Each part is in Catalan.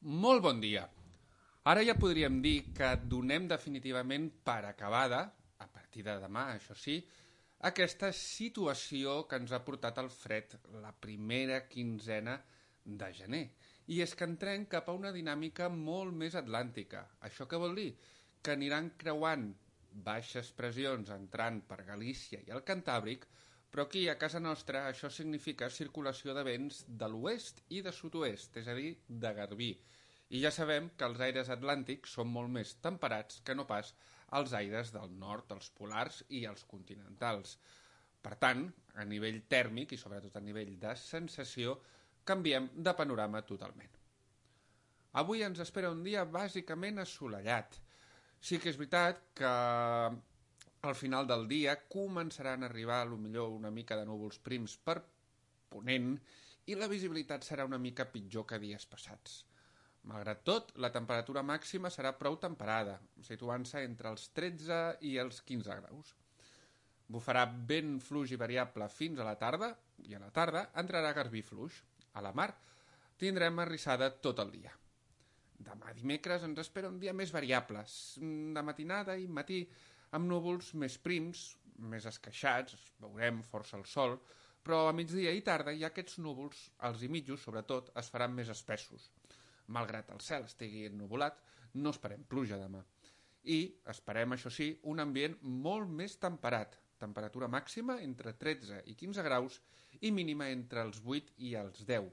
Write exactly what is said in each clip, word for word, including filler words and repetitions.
Molt bon dia. Ara ja podríem dir que donem definitivament per acabada, a partir de demà, això sí, aquesta situació que ens ha portat el fred la primera quinzena de gener. I és que entrem cap a una dinàmica molt més atlàntica. Això què vol dir? Que aniran creuant baixes pressions entrant per Galícia i el Cantàbric, però aquí a casa nostra això significa circulació de vents de l'oest i de sud-oest, és a dir, de garbí. I ja sabem que els aires atlàntics són molt més temperats que no pas els aires del nord, els polars i els continentals. Per tant, a nivell tèrmic i sobretot a nivell de sensació, canviem de panorama totalment. Avui ens espera un dia bàsicament assolellat. Sí que és veritat que al final del dia començaran a arribar potser una mica de núvols prims per ponent i la visibilitat serà una mica pitjor que dies passats. Malgrat tot, la temperatura màxima serà prou temperada, situant-se entre els tretze i els quinze graus. Bufarà vent fluix i variable fins a la tarda, i a la tarda entrarà garbí fluix. A la mar tindrem arrissada tot el dia. Demà dimecres ens espera un dia més variable, de matinada i matí, amb núvols més prims, més esqueixats, veurem força el sol, però a migdia i tarda ja aquests núvols, els i mitjos sobretot, es faran més espessos. Malgrat el cel estigui ennuvolat, no esperem pluja demà. I esperem, això sí, un ambient molt més temperat, temperatura màxima entre tretze i quinze graus i mínima entre els vuit i els deu.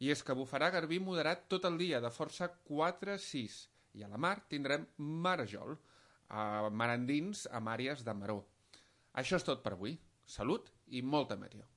I és que bufarà garbí moderat tot el dia, de força quatre a sis, i a la mar tindrem marejol, a mar endins amb àrees de maror. Això és tot per avui. Salut i molta meteo.